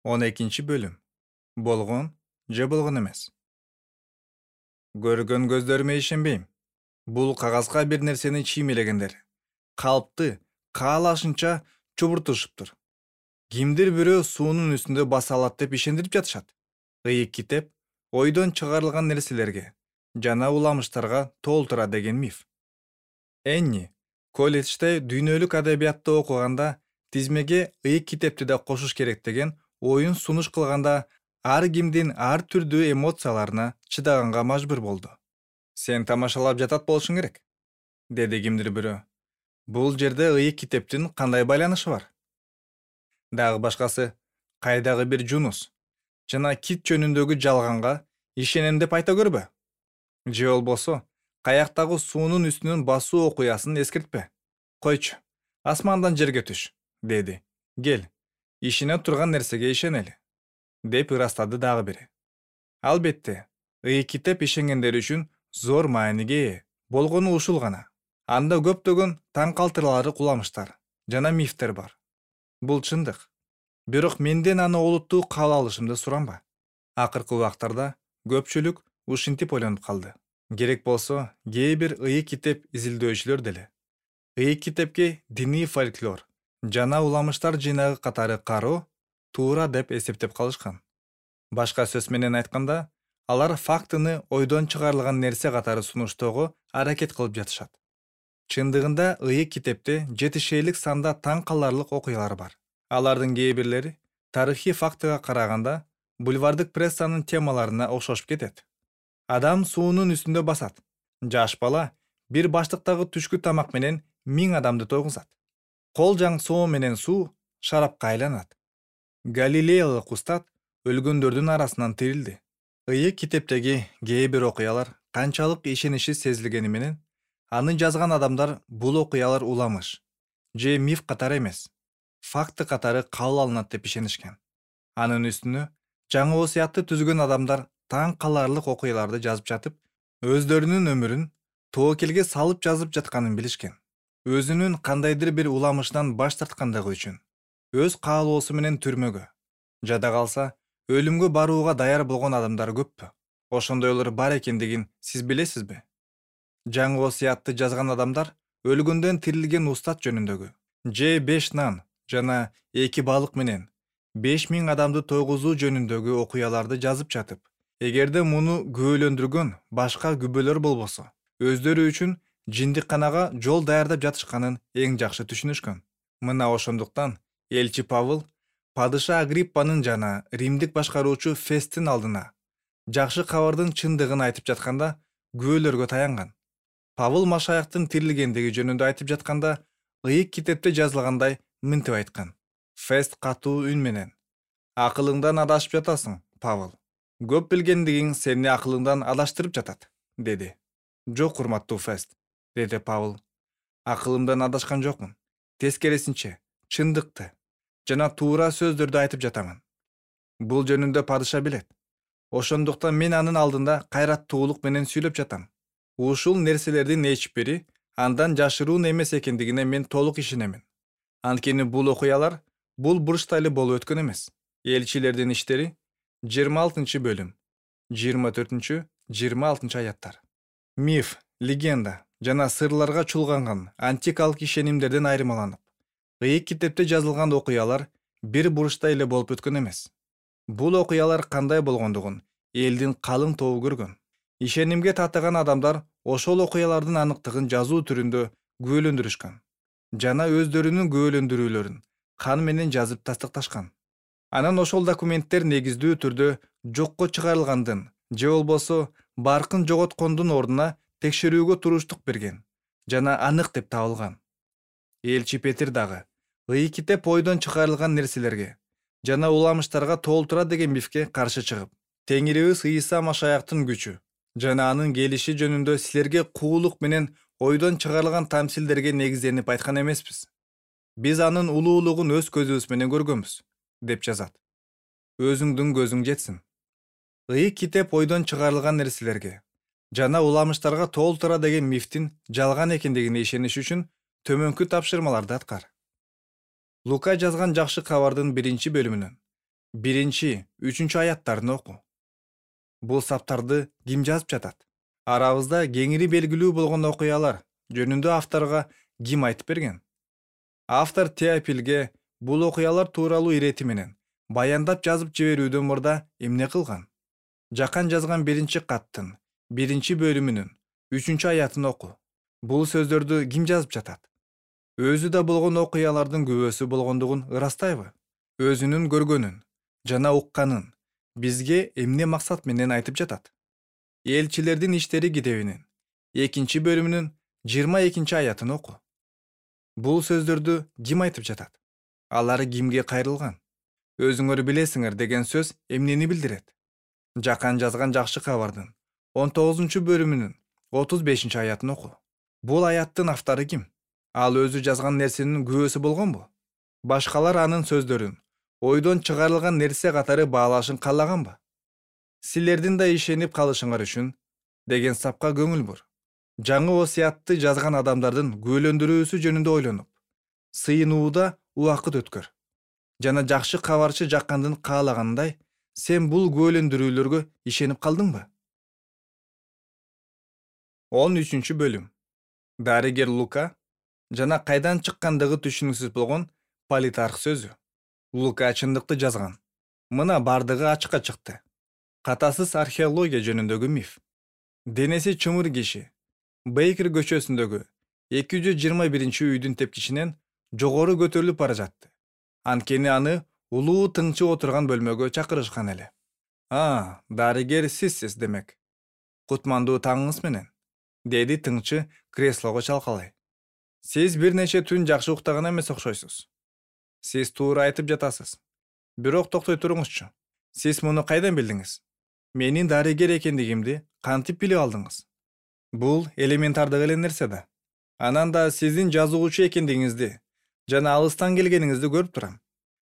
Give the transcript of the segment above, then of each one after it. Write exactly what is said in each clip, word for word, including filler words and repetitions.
он экинчи бөлүм. Болгон же болгон эмес. Көргөн көздөрүмө ишенбейм. Бул кагазга бир нерсени чиймелегендер. Калпты каалашынча чубуртушуптур. Кимдир бирөө суунун үстүндө баса алат деп ишендирип жатышат. Ыйык китеп ойдон чыгарылган нерселерге жана уламыштарга толтура деген миф. Энни колледжде дүйнөлүк адабиятты окуганда тизмеге ыйык китепти да кошуш керек деген оюн сунуш кылганда ар кимдин ар түрдүү эмоцияларына чыдаганга мажбур болду. Сен тамашалап жатат болушуң керек, деди кимдир бирөө. Бул жерде ыйык китептин кандай байланышы бар? Дагы башкасы, кайдагы бир жунус жана кит жөнүндөгү жалганга ишенем деп айта көрбө. Же болбосо, каяктагы суунун үстүнөн басуу окуясын эскертпе. Койчу, асмандан жерге түш, деди. Кел, ишене турган нерсеге ишенели, деп ырастады дагы бири. Албетте, ыйык китеп ишенгендер үчүн зор мааниге ээ. Болгону ушул гана. Анда көптөгөн таң калтырарлык уламыштар жана мифтер бар. Бул чындык. Бирок менден аны олуттуу кабыл алышымды суранба. Акыркы убактарда көпчүлүк ушинтип ойлонуп калды. Керек болсо, кээ бир ыйык китеп изилдөөчүлөр деле ыйык китепке диний фольклор жана уламыштар жыйнагы катары кароо туура деп эсептеп калышкан. Башка сөз менен айтканда, алар фактыны ойдон чыгарылган нерсе катары сунуштоого аракет кылып жатышат. Чындыгында ыйык китепте жетишейлик санда таң каларлык окуялар бар. Алардын кээ бирлери тарыхый фактыга караганда бульвардык прессанын темаларына окшошуп кетет. Адам суунун үстүндө басат. Жаш бала бир баштыктагы түшкү тамак менен миң адамды тойгузат. Кол жаң соо менен суу шарапка айланат. Галилеялык устат өлгөндөрдүн арасынан тирилди. Ыйык китептеги кээ бир окуялар канчалык ишениши сезилгени менен аны жазган адамдар бул окуялар уламыш же миф катары эмес, факты катары кабыл алынат деп ишенишкен. Анын үстүнө жаңы осуятты түзгөн адамдар таң каларлык окуяларды жазып жатып, өздөрүнүн өмүрүн тоокелге салып жазып жатканын билишкен. Өзүнүн кандайдыр бир уламышынан баш тарткандыгы үчүн өз каалоосу менен түрмөгө, жада калса өлүмгө барууга даяр болгон адамдар көппү? Ошондойлор бар экендигин сиз билесизби? Жаңы осуятты жазган адамдар өлгөндөн тирилген устат жөнүндөгү же беш нан жана эки балык менен беш миң адамды тойгузуу жөнүндөгү окуяларды жазып жатып, эгерде муну күбөлөндүргөн башка күбөлөр болбосо, өздөрү үчүн жиндикканага жол даярдап жатышканын эң жакшы түшүнүшкөн. Мына ошондуктан элчи Павыл падыша Агриппанын жана римдик башкаруучу Фесттин алдына жакшы кабардын чындыгын айтып жатканда күбөлөргө таянган. Павыл Машаяктын тирилгендиги жөнүндө айтып жатканда ыйык китепте жазылгандай мынтип айткан. Фест катуу үн менен: акылыңдан адашып жатасың, Павыл. Көп билгендигиң сени акылыңдан адаштырып жатат, деди. Жок, урматтуу Фест, деди Павыл. Акылымдан адашкан жокмун. Тескерисинче, чындыкты жана туура сөздөрдү айтып жатамын. Бул жөнүндө падыша билет. Ошондуктан мен анын алдында кайраттуулук менен сүйлөп жатам. Ушул нерселердин эч бири андан жашыруун эмес экендигине мен толук ишенемин. Анткени бул окуялар бул бурчта эле болуп өткөн эмес. Элчилердин иштери жыйырма алтынчы бөлүм, жыйырма төртүнчү жыйырма алтынчы аяттар. Миф, легенда жана сырларга чулганган антикалык ишенимдерден айырмаланып, ыйык китепте жазылган окуялар бир бурчта эле болуп өткөн эмес. Бул окуялар кандай болгондугун элдин калың тобу көргөн. Ишенимге татыган адамдар ошол окуялардын аныктыгын жазуу түрүндө күбөлөндүрүшкөн жана өздөрүнүн күбөлөндүрүүлөрүн кан менен жазып тастыкташкан. Анан ошол документтер негиздүү түрдө жокко чыгарылгандын же болбосо баркын жоготкондун ордуна текшерүүгө туруштук берген жана анык деп табылган. Элчи Петир дагы ыйык китеп ойдон чыгарылган нерселерге жана уламыштарга толтура деген мифке каршы чыгып, Теңирибиз Ыйса Машаяктын күчү жана анын келиши жөнүндө силерге куулук менен ойдон чыгарылган тамсилдерге негизденип айткан эмеспиз. Биз анын улуулугун өз көзүбүз менен көргөнбүз, деп жазат. Өзүңдүн көзүң жетсин. Ыйык китеп ойдон чыгарылган нерселерге жана уламыштарга толтура деген мифтин жалган экендигине ишениш үчүн төмөнкү тапшырмаларды аткар. Лука жазган жакшы кабардын биринчи бөлүмүнөн биринчи үчүнчү аяттарын оку. Бул саптарды ким жазып жатат? Арабызда кеңири белгилүү болгон окуялар жөнүндө авторго ким айтып берген? Автор Теофилге бул окуялар тууралуу ирети менен баяндап жазып жиберүүдөн мурда эмне кылган? Жакан жазган биринчи каттын биринчи бөлүмүнүн үчүнчү аятын оку. Бул сөздөрдү ким жазып жатат? Өзү да болгон окуялардын күбөсү болгондугун ырастайбы? Өзүнүн көргөнүн жана укканын бизге эмне максат менен айтып жатат? Элчилердин иштери китебинин экинчи бөлүмүнүн жыйырма экинчи аятын оку. Бул сөздөрдү ким айтып жатат? Алар кимге кайрылган? Өзүңөр билесиңер деген сөз эмнени билдирет? Жакан жазган жакшы кабардын он тогузунчу бөлүмүнүн отуз бешинчи аятын оку. Бул аяттын автору ким? Ал өзү жазган нерсенин күбөсү болгонбу? Башкалар анын сөздөрүн ойдон чыгарылган нерсе катары баалашын каалаганбы? Силердин да ишенип калышыңар үчүн деген сапка көңүл бур. Жаңы осуятты жазган адамдардын күбөлөндүрүүсү жөнүндө ойлонуп, сыйынууда убакыт өткөр. Жана жакшы кабарчы Жакандын каалагандай, сен бул күбөлөндүрүүлөргө ишенип калдыңбы? он үчүнчү бөлүм. Дарыгер Лука жана кайдан чыккандыгы түшүнүксүз болгон Политарх сөзү. Лука чындыкты жазган. Мына бардыгы ачыкка чыкты. Катасыз археология жөнүндөгү миф. Денеси чымыр киши Бейкер көчөсүндөгү эки жүз жыйырма биринчи үйдүн тепкичинен жогору көтөрүлүп бара жатты. Анткени аны улуу тыңчы отурган бөлмөгө чакырышкан эле. А, дарыгер сизсиз демек. Кутмандуу таңыңыз менен, деди тыңчы креслого чалкалай. Сиз бир нече түн жакшы уктаган эмес окшойсуз. Сиз туура айтып жатасыз. Бирок токтой туруңузчу. Сиз муну кайдан билдиңиз? Менин дарыгер экендигимди кантип билип алдыңыз? Бул элементардык эле нерсе да. Анан да сиздин жазуучу экендигиңизди жана алыстан келгениңизди көрүп турам.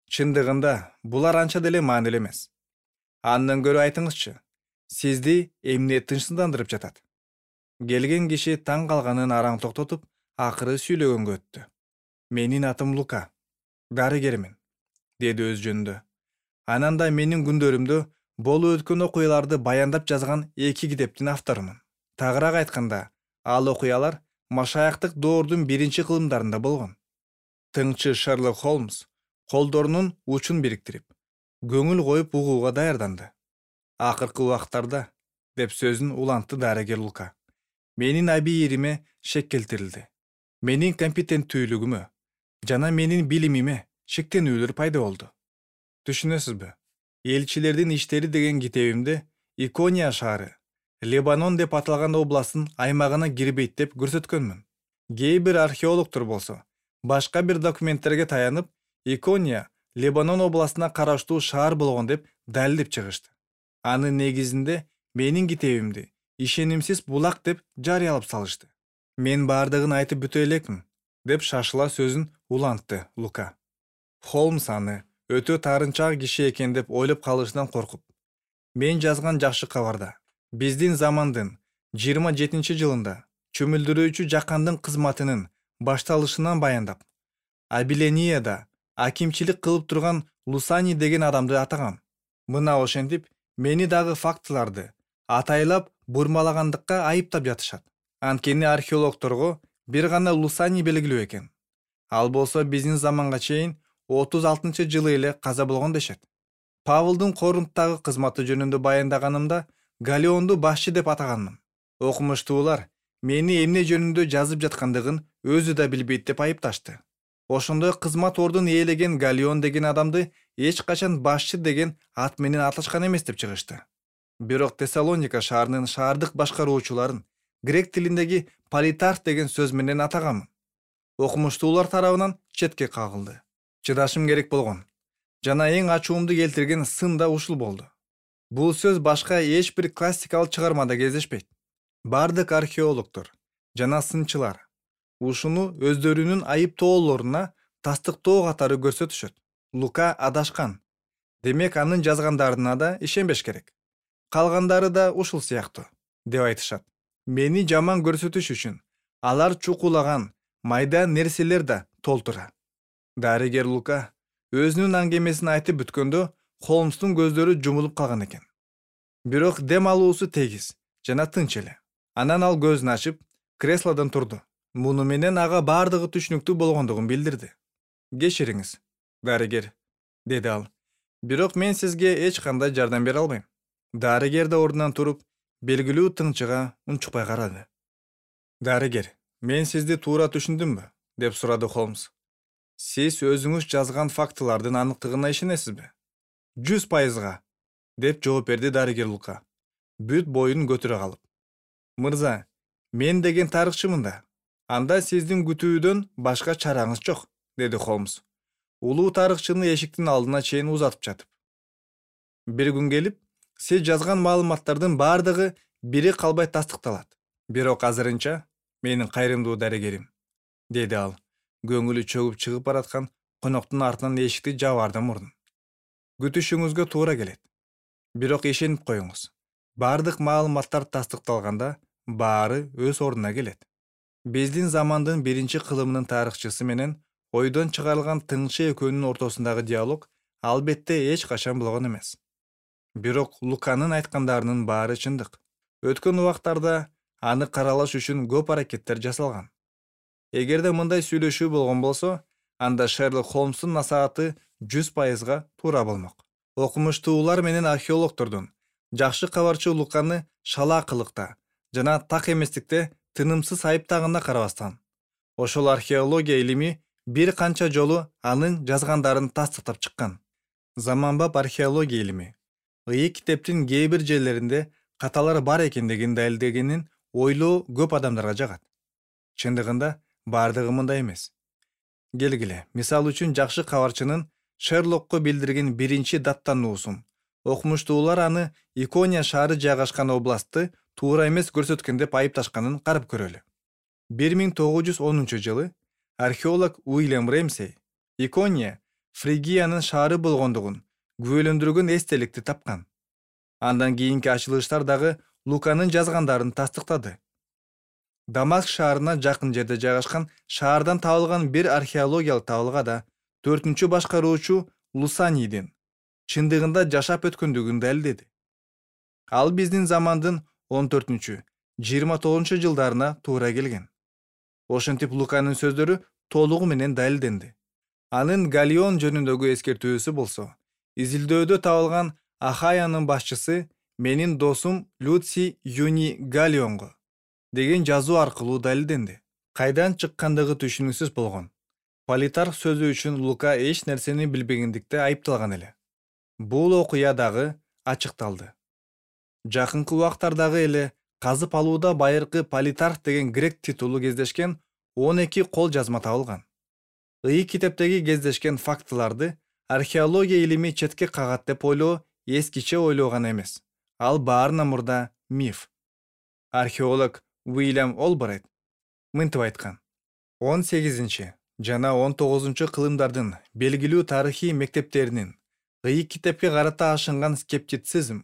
Чындыгында булар анча деле маанилүү эмес. Андан көрө айтыңызчы, сизди эмне тынчсыздандырып жатат? Келген киши таң калганын араң токтотуп, акыры сүйлөгөнгө өттү. Менин атым Лука, дарыгермин, деди өз жөнүндө. Анан да менин күндөрүмдө болуп өткөн окуяларды баяндап жазган эки китептин авторумун. Тагыраак айтканда, ал окуялар машаяктык доордун биринчи кылымдарында болгон. Тыңчы Шерлок Холмс колдорунун учун бириктирип, көңүл коюп угууга даярданды. Акыркы убактарда, деп сөзүн улантты дарыгер Лука, менин абийириме шек келтирилди. Менин компетенттүүлүгүмө жана менин билимиме шектенүүлөр пайда болду. Түшүнөсүзбү? Элчилердин иштери деген китебимде Икония шаары, Лебанон деп аталган областтын аймагына кирбейт деп көрсөткөнмүн. Кээ бир археологдор болсо, башка бир документтерге таянып, Икония Лебанон областына караштуу шаар болгон деп далилдеп чыгышты. Анын негизинде менин китебимди ишенимсиз булак деп жарыялап салышты. Мен бардыгын айтып бүтө элекмин, деп шашыла сөзүн улантты Лука. Холмс аны өтө таарынчаак киши экен деп ойлоп калышынан коркуп, мен жазган жакшы кабарда биздин замандын жыйырма жетинчи жылында чөмүлдүрүүчү Жакандын кызматынын башталышынан баяндап, Абиленияда акимчилик кылып турган Лусани деген адамды атагам. Мына ошентип, мени дагы фактыларды атайлап бурмалагандыкка айыптап жатышат. Анткени археологдорго бир гана Лусани белгилүү экен. Ал болсо биздин заманга чейин отуз алтынчы жылы эле каза болгон дешет. Павылдын Корунттагы кызматы жөнүндө баяндаганымда Галионду башчы деп атаганмын. Окумуштуулар мени эмне жөнүндө жазып жаткандыгын өзү да билбейт деп айыпташты. Ошондой кызмат ордун ээлеген Галион деген адамды эч качан башчы деген ат менен аташкан эмес деп чыгышты. Бирок Тессалоника шаарынын шаардык башкаруучуларын грек тилиндеги Политарх деген сөз менен атаганмын. Окумуштуулар тарабынан четке кагылды. Чыдашым керек болгон. Жана эң ачуумду келтирген сын да ушул болду. Бул сөз башка эч бир классикалык чыгармада кездешпейт. Бардык археологдор жана сынчылар ушуну өздөрүнүн айыптоолоруна тастыктоо катары көрсөтүшөт. Лука адашкан. Демек анын жазгандарына да ишенбеш керек. Калгандары да ушул сыяктуу, деп айтышат. Мени жаман көрсөтүш үчүн алар чукулаган майда нерселер да толтура. Дарыгер Лука өзүнүн аңгемесин айтып бүткөндө Холмстун көздөрү жумулуп калган экен. Бирок дем алуусу тегиз жана тынч эле. Анан ал көзүн ачып, креслодон турду. Муну менен ага бардыгы түшүнүктүү болгондугун билдирди. Кечириңиз, дарыгер, деди ал. Бирок мен сизге эч кандай жардам бере албайм. Дарыгер да ордунан туруп, белгилүү тыңчыга унчукпай карады. Дарыгер, мен сизди туура түшүндүмбү? Деп сурады Холмс. Сиз өзүңүз жазган фактылардын аныктыгына ишенесизби? Жүз пайызга, деп жооп берди дарыгер Лука, бүт боюн көтөрө калып. Мырза, мен деген тарыхчымын да. Анда сиздин күтүүдөн башка чараңыз жок, деди Холмс. Улуу тарыхчыны эшиктин алдына чейин узатып жатып. Бир күн келип, сиз жазган маалыматтардын бардыгы бири калбай тастыкталат. Бирок азырынча, менин кайрымдуу дарыгерим, деди ал, көңүлү чөгүп чыгып бараткан коноктун артынан эшикти жабаардан мурдун. Күтүшүңүзгө туура келет. Бирок ишенип коюңуз. Бардык маалыматтар тастыкталганда, баары өз ордуна келет. Биздин замандын биринчи кылымынын тарыхчысы менен ойдон чыгарылган тыңчы экөөнүн ортосундагы диалог албетте эч качан болгон эмес. Бирок Луканын айткандарынын баары чындык. Өткөн убактарда аны каралаш үчүн көп аракеттер жасалган. Эгерде мындай сүйлөшүү болгон болсо, анда Шерлок Холмстун насааты жүз пайызга туура болмок. Окумуштуулар менен археологдордун жакшы кабарчы Луканы шалаакылыкта жана так эместикте тынымсыз айыптагына карабастан, ошол археология илими бир канча жолу анын жазгандарын тастыктап чыккан. Заманбап археология илими Ыйык китептин кээ бир жерлеринде каталар бар экендигин далилдегенин ойлоо көп адамдарга жагат. Чындыгында бардыгы мындай эмес. Келгиле, мисал үчүн жакшы кабарчынын Шерлокко билдирген биринчи даттануусун окумуштуулар аны Икония шаары жайгашкан областты туура эмес көрсөткөн деп айыпташканын карап көрөлү. бир миң тогуз жүз онунчу жылы археолог Уильям Рэмсей Икония Фригиянын шаары болгондугун күбөлөндүргөн эстеликти тапкан. Андан кийинки ачылыштар дагы Луканын жазгандарын тастыктады. Дамаск шаарына жакын жерде жайгашкан шаардан табылган бир археологиялык табылгада төртүнчү башкаруучу Лусанийдин чындыгында жашап өткөндүгүн далилдеди. Ал биздин замандын он төртүнчү жыйырма тогузунчу жылдарына туура келген. Ошентип Луканын сөздөрү толугу менен далилденди. Анын Галлион жөнүндөгү эскертүүсү болсо, изилдөөдө табылган Ахаянын башчысы менин досум Люций Юни Галлионго деген жазуу аркылуу далилденди. Кайдан чыккандыгы түшүнүксүз болгон. Политарх сөзү үчүн Лука эч нерсени билбегендикте айыпталган эле. Бул окуя дагы ачыкталды. Жакынкы убактардагы эле казып алууда байыркы Политарх деген грек титулу кездешкен он эки кол жазма табылган. Ыйык китептеги кездешкен фактыларды археология илими четке кагат деп ойлоо эскиче ойлоо гана эмес. Ал баарынан мурда миф. Археолог Уильям Олбрайт мынтип айткан. он сегизинчи жана он тогузунчу кылымдардын белгилүү тарыхый мектептеринин ыйык китепке карата ашынган скептицизм,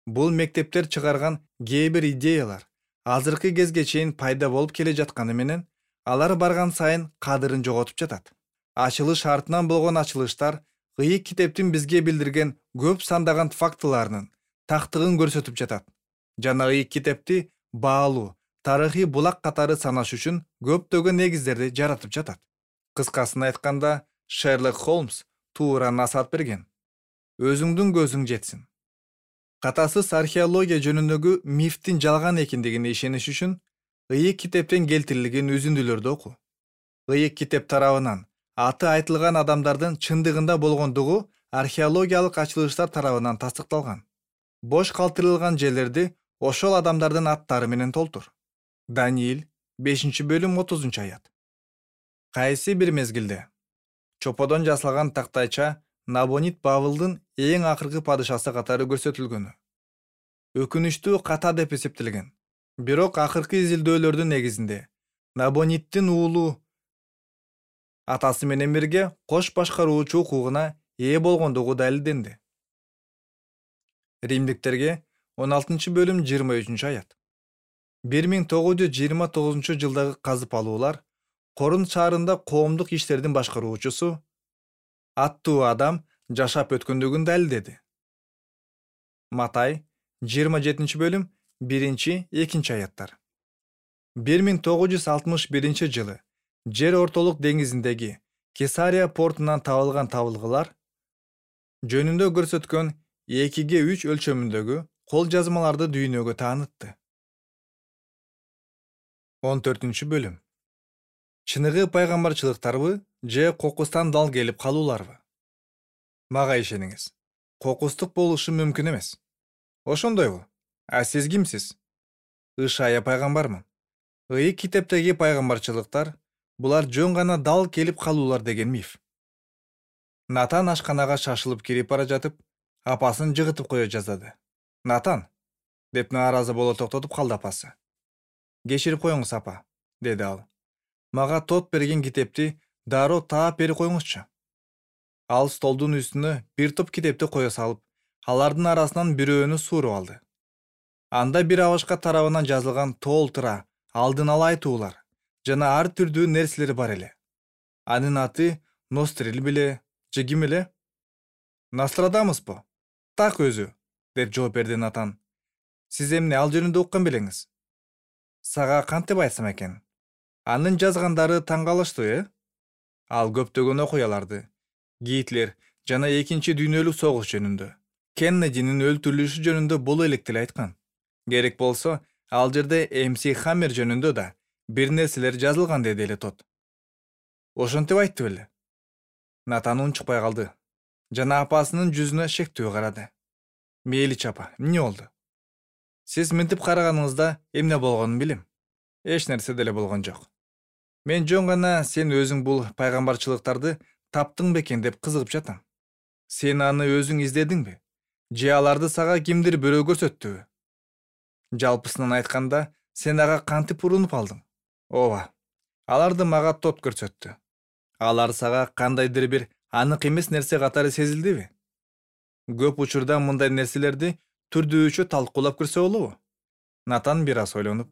бул мектептер чыгарган кээ бир идеялар азыркы кезге чейин пайда болуп келе жатканы менен алар барган сайын кадырын жоготуп жатат. Ачылыш артынан болгон ачылыштар ыйык китептин бизге билдирген көп сандаган фактыларынын тактыгын көрсөтүп жатат жана ыйык китепти баалуу тарыхый булак катары санаш үчүн көптөгөн негиздерди жаратып жатат. Кыскасын айтканда, Шерлок Холмс туура насаат берген. Өзүңдүн көзүң жетсин. Катасыз археология жөнүндөгү мифтин жалган экендигине ишениш үчүн ыйык китептен келтирилген үзүндүлөрдү оку. Ыйык китеп тарабынан аты айтылган адамдардын чындыгында болгондугу археологиялык ачылыштар тарабынан тастыкталган. Бош калтырылган жерлерди ошол адамдардын аттары менен толтур. Даниил бешинчи бөлүм отузунчу аят. Кайсы бир мезгилде чоподон жасалган тактайча Набонид Бавылдын эң акыркы падышасы катары көрсөтүлгөнү өкүнүчтүү ката деп эсептелген. Бирок акыркы изилдөөлөрдүн негизинде Набониддин уулу атасы менен бирге кош башкаруучу укугуна ээ болгондугу далилденди. Римдиктерге он алтынчы бөлүм жыйырма үчүнчү аят. бир миң тогуз жүз жыйырма тогузунчу жылдагы казып алуулар Корун шаарында коомдук иштердин башкаруучусу аттуу адам жашап өткөндүгүн далилдеди. Матай жыйырма жетинчи бөлүм биринчи экинчи аяттар. бир миң тогуз жүз алтымыш биринчи жылы жер ортолук деңизиндеги Кесария портунан табылган табылгылар жөнүндө көрсөткөн экиге үч өлчөмүндөгү кол жазмаларды дүйнөгө таанытты. он төртүнчү бөлүм. Чыныгы пайгамбарчылыктарбы же кокустан дал келип калууларбы? Мага ишениңиз. Кокустук болушу мүмкүн эмес. Ошондойбу? А сиз кимсиз? Ышая пайгамбармын. Ыйык китептеги пайгамбарчылыктар булар жөн гана дал келип калуулар деген миф. Натан ашканага шашылып кирип бара жатып, апасын жыгытып кое жаздады. Натан, деп нааразы боло токтотуп калды апасы. Кечирип коюңуз апа, деди ал. Мага тот берген китепти дароо таап берип коюңузчу. Ал столдун үстүнө бир топ китепти кое салып, алардын арасынан бирөөнү сууруп алды. Анда бир абашка тарабынан жазылган толтура алдын ала айтуулар жана ар түрдүү нерселер бар эле. Анын аты Нострил беле, же ким эле? Нострадамуспу? Так өзү, деп жооп берди Натан. Сиз эмне ал жөнүндө уккан белеңиз? Сага кантип айтсам экен? Анын жазгандары таң калыштуу, э? Ал көптөгөн окуяларды, Гитлер жана экинчи дүйнөлүк согуш жөнүндө, Кеннединин өлтүрүлүшү жөнүндө боло элек деле айткан. Керек болсо, ал жерде эм си Хаммер жөнүндө да бир нерселер жазылган, деди эле тот. Ошентип айтты беле? Натан унчукпай калды жана апасынын жүзүнө шектүү карады. Мейличи апа, эмне болду? Сиз мынтип караганыңызда эмне болгонун билем. Эч нерсе деле болгон жок. Мен жөн гана сен өзүң бул пайгамбарчылыктарды таптың бекен деп кызыгып жатам. Сен аны өзүң издедиңби? Же аларды сага кимдир бирөө көрсөттүбү? Жалпысынан айтканда, сен ага кантип урунуп алдың? Ооба, аларды мага тот көрсөттү. Алар сага кандайдыр бир анык эмес нерсе катары сезилдиби? Көп учурда мындай нерселерди түрдүүчө талкуулап көрсө болобу? Натан бир аз ойлонуп,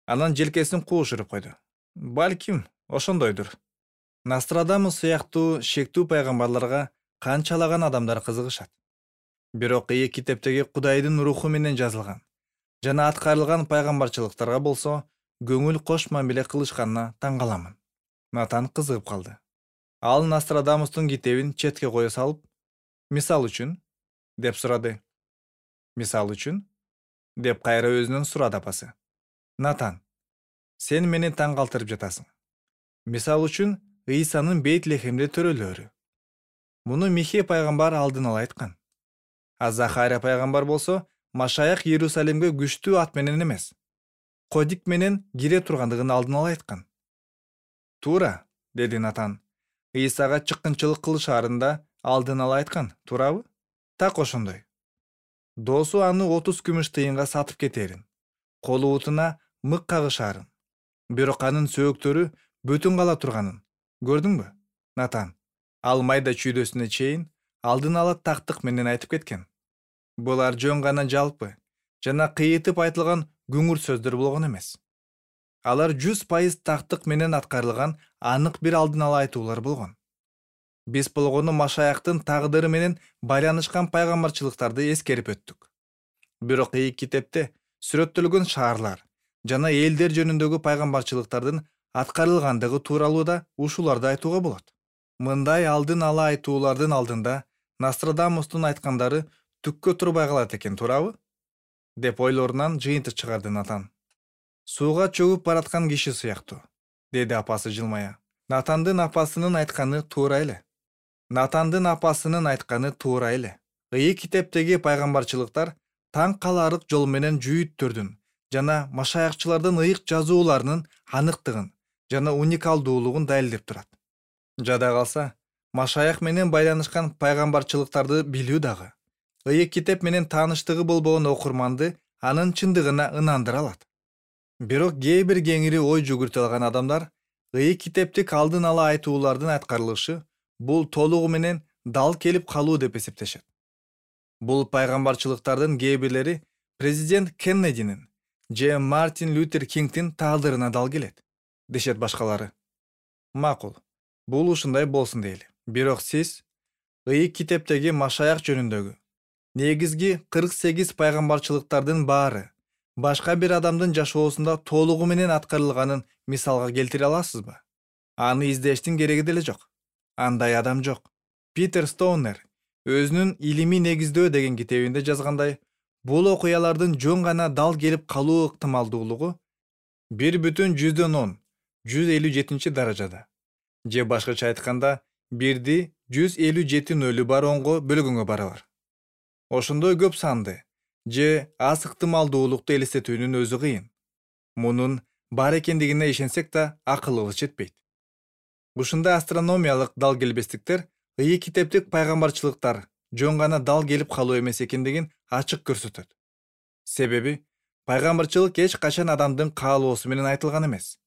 анан желкесин куушуруп койду. Балким, ошондойдур. Нострадамус сыяктуу шектүү пайгамбарларга канчалаган адамдар кызыгышат. Бирок ыйык китептеги Кудайдын руху менен жазылган жана аткарылган пайгамбарчылыктарга болсо көңүл кош мамиле кылышканына таң каламын. Натан кызыгып калды. Ал Нострадамустун китебин четке кое салып, мисал үчүн, деп сурады. Мисал үчүн, деп кайра өзүнөн сурады апасы. Натан, сен мени таң калтырып жатасың. Мисал үчүн, Ыйсанын Бейтлехемде төрөлөөрү. Муну Михей пайгамбар алдын ала айткан. А Захария пайгамбар болсо, Машаяк Иерусалимге күчтүү ат менен эмес, кодик менен кире тургандыгын алдын ала айткан. Туура, деди Натан. Ыйсага чыккынчылык кылышаарында алдын ала айткан, туурабы? Так ошондой. Досу аны отуз күмүш тыйынга сатып кетерин, колу утуна мык кагышаарын, бирок анын сөөктөрү бүтүн кала турганын көрдүңбү? Натан, ал майда чүйдөсүнө чейин алдын ала тактык менен айтып кеткен. Булар жөн гана жалпы жана кыйытып айтылган күңүр сөздөр болгон эмес. Алар жүз пайыз тактык менен аткарылган анык бир алдын ала айтуулар болгон. Биз болгону Машаяктын тагдыры менен байланышкан пайгамбарчылыктарды эскерип өттүк. Бирок ыйык китепте сүрөттөлгөн шаарлар жана элдер жөнүндөгү пайгамбарчылыктардын аткарылгандыгы тууралуу да ушуларды айтууга болот. Мындай алдын ала айтуулардын алдында Нострадамустун айткандары түккө турбай калат экен, туурабы? Деп ойлорунан жыйынтык чыгарды Натан. Сууга чөгүп бараткан киши сыяктуу, деди апасы жылмая. Натандын апасынын айтканы туура эле. Натандын апасынын айтканы туура эле. Ыйык китептеги пайгамбарчылыктар таң каларлык жол менен жүйүттөрдүн жана машаякчылардын ыйык жазууларынын аныктыгын жана уникалдуулугун далилдеп турат. Жада калса, Машаяк менен байланышкан пайгамбарчылыктарды билүү дагы ыйык китеп менен тааныштыгы болбогон окурманды анын чындыгына ынандыра алат. Бирок кээ бир кеңири ой жүгүртө алган адамдар ыйык китептик алдын ала айтуулардын аткарылышы бул толугу менен дал келип калуу деп эсептешет. Бул пайгамбарчылыктардын кээ бирлери президент Кеннединин же Мартин Лютер Кингдин тагдырына дал келет, дешет башкалары. Макул, бул ушундай болсун дейли. Бирок сиз Ыйык китептеги Машаяк жөнүндөгү негизги кырк сегиз пайгамбарчылыктардын баары башка бир адамдын жашоосунда толугу менен аткарылганын мисалга келтире аласызбы? Аны издештин кереги деле жок. Андай адам жок. Питер Стоунер өзүнүн «Илимий негиздөө» деген китебинде жазгандай, бул окуялардын жөн гана дал келип калуу ыктымалдуулугу бир бүтүн жүздөн он жүз элүү жетинчи даражада, же башкача айтканда бирди жүз элүү жети нөлү бар онго бөлгөнгө барабар. Ошондой көп санды же аз ыктымалдуулукту элестетүүнүн өзү кыйын. Мунун бар экендигине ишенсек да акылыбыз жетпейт. Ушундай астрономиялык дал келбестиктер ыйык китептик пайгамбарчылыктар жөн гана дал келип калуу эмес экендигин ачык көрсөтөт. Себеби пайгамбарчылык эч качан адамдын каалоосу менен айтылган эмес,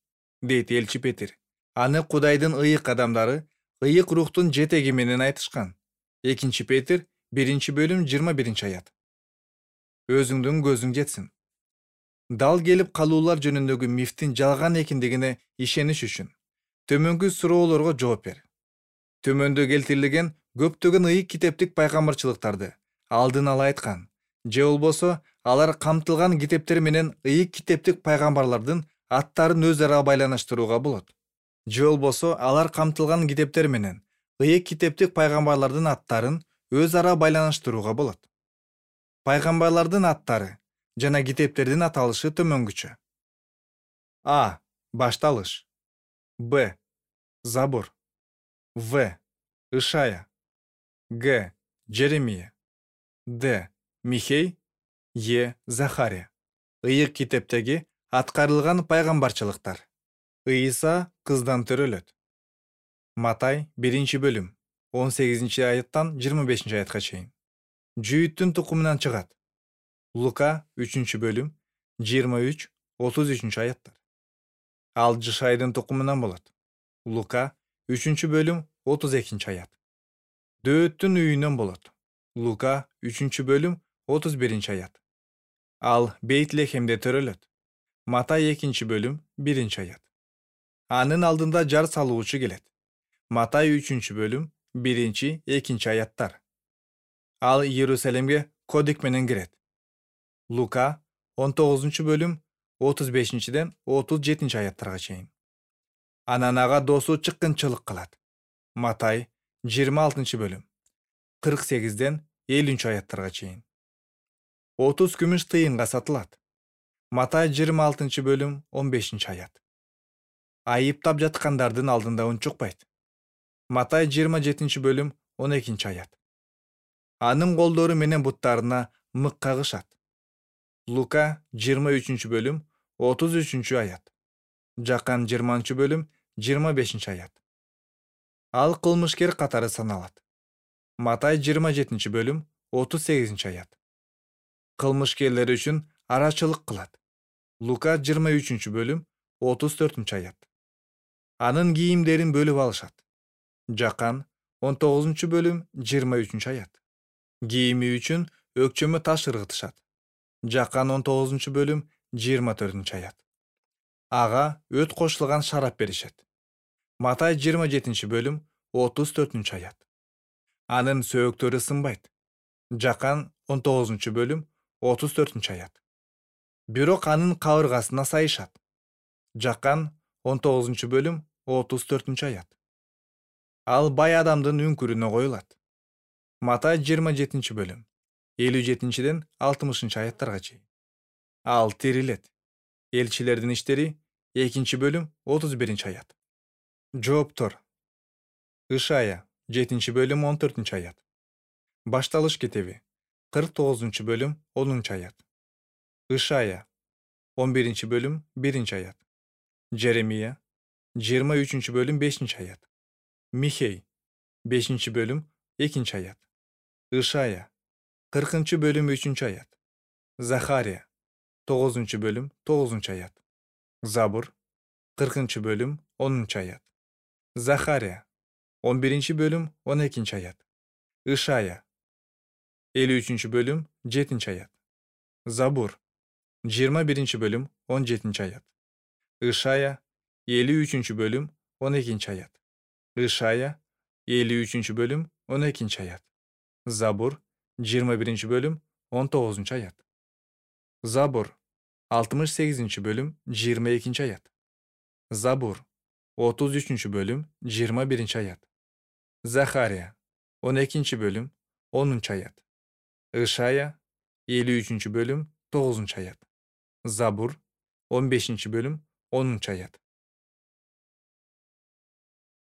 дейт элчи Петир. Аны Кудайдын ыйык адамдары ыйык рухтун жетеги менен айтышкан. экинчи Петир биринчи бөлүм жыйырма биринчи аят. Өзүңдүн көзүң жетсин. Дал келип калуулар жөнүндөгү мифтин жалган экендигине ишениш үчүн төмөнкү суроолорго жооп бер. Төмөндө келтирилген көптөгөн ыйык китептик пайгамбарчылыктарды алдын ала айткан, же болбосо алар камтылган китептер менен ыйык китептик пайгамбарлардын аттарын өз ара байланыштырууга болот. Же болбосо алар камтылган китептер менен ыйык китептик пайгамбарлардын аттарын өз ара байланыштырууга болот. Пайгамбарлардын аттары жана китептердин аталышы төмөнгүчө. А. Башталыш. Б. Забур. В. Ишая. Г. Жеремия. Д. Михей. Е. Захария. Ыйык китептеги аткарылган пайгамбарчылыктар. Ыйса кыздан төрөлөт. Матай биринчи бөлүм он сегизинчи аяттан жыйырма бешинчи аятка чейин. Жүйүттүн тукумунан чыгат. Лука үчүнчү бөлүм жыйырма үч отуз үчүнчү аяттар. Ал Жышайдын тукумунан болот. Лука үчүнчү бөлүм отуз экинчи аят. Дөөттүн үйүнөн болот. Лука үчүнчү бөлүм отуз биринчи аят. Ал Бейтлехемде төрөлөт. Матай экинчи бөлүм биринчи аят. Анын алдында жар салуучу келет. Матай үчүнчү бөлүм биринчи экинчи аяттар. Ал Иерусалимге кодик менен кирет. Лука он тогузунчу бөлүм отуз бешинчиден отуз жетинчи аяттарга чейин. Анан ага досу чыккынчылык кылат. Матай жыйырма алтынчы бөлүм кырк сегизден элүүнчү аяттарга чейин. отуз күмүш тыйынга сатылат. Матай жыйырма алтынчы бөлүм он бешинчи аят. Айыптап жаткандардын алдында унчукпайт. Матай жыйырма жетинчи бөлүм он экинчи аят. Анын колдору менен буттарына мык кагышат. Лука жыйырма үчүнчү бөлүм отуз үчүнчү аят. Жакан жыйырманчы бөлүм жыйырма бешинчи аят. Ал кылмышкер катары саналат. Матай жыйырма жетинчи бөлүм отуз сегизинчи аят. Кылмышкерлер үчүн арачылык кылат. Лука жыйырма үчүнчү бөлүм отуз төртүнчү аят. Анын кийимдерин бөлүп алышат. Жакан он тогузунчу бөлүм жыйырма үчүнчү аят. Кийими үчүн өкчөмө таш ыргытышат. Жакан он тогузунчу бөлүм жыйырма төртүнчү аят. Ага өт кошулган шарап беришет. Матай жыйырма жетинчи бөлүм отуз төртүнчү аят. Анын сөөктөрү сынбайт. Жакан он тогузунчу бөлүм отуз төртүнчү аят. Бирок анын кабыргасына сайышат. Жакан он тогузунчу бөлүм отуз төртүнчү аят. Ал бай адамдын үңкүрүнө коюлат. Матай жыйырма жетинчи бөлүм элүү жетинчиден алтымышынчы аяттарга чейин. Ал тирилет. Элчилердин иштери экинчи бөлүм отуз биринчи аят. Жооптор. Ишая жетинчи бөлүм он төртүнчү аят. Башталыш китеби кырк тогузунчу бөлүм онунчу аят. Ишая он биринчи бөлүм биринчи аят. Жеремия жыйырма үчүнчү бөлүм бешинчи аят. Михей бешинчи бөлүм экинчи аят. Ишая кыркынчы бөлүм үчүнчү аят. Захария тогузунчу бөлүм тогузунчу аят. Забур кыркынчы бөлүм онунчу аят. Захария он биринчи бөлүм он экинчи аят. Ишая элүү үчүнчү бөлүм жетинчи аят. Забур жыйырма биринчи бөлүм он жетинчи аят. Ишая элүү үчүнчү бөлүм он экинчи аят. Ишая элүү үчүнчү бөлүм он экинчи аят. Забур жыйырма биринчи бөлүм он тогузунчу аят. Забур алтымыш сегизинчи бөлүм жыйырма экинчи аят. Забур отуз үчүнчү бөлүм жыйырма биринчи аят. Захария он экинчи бөлүм онунчу аят. Ышая элүү үчүнчү бөлүм тогузунчу аят. Забур он бешинчи бөлүм онунчу аят.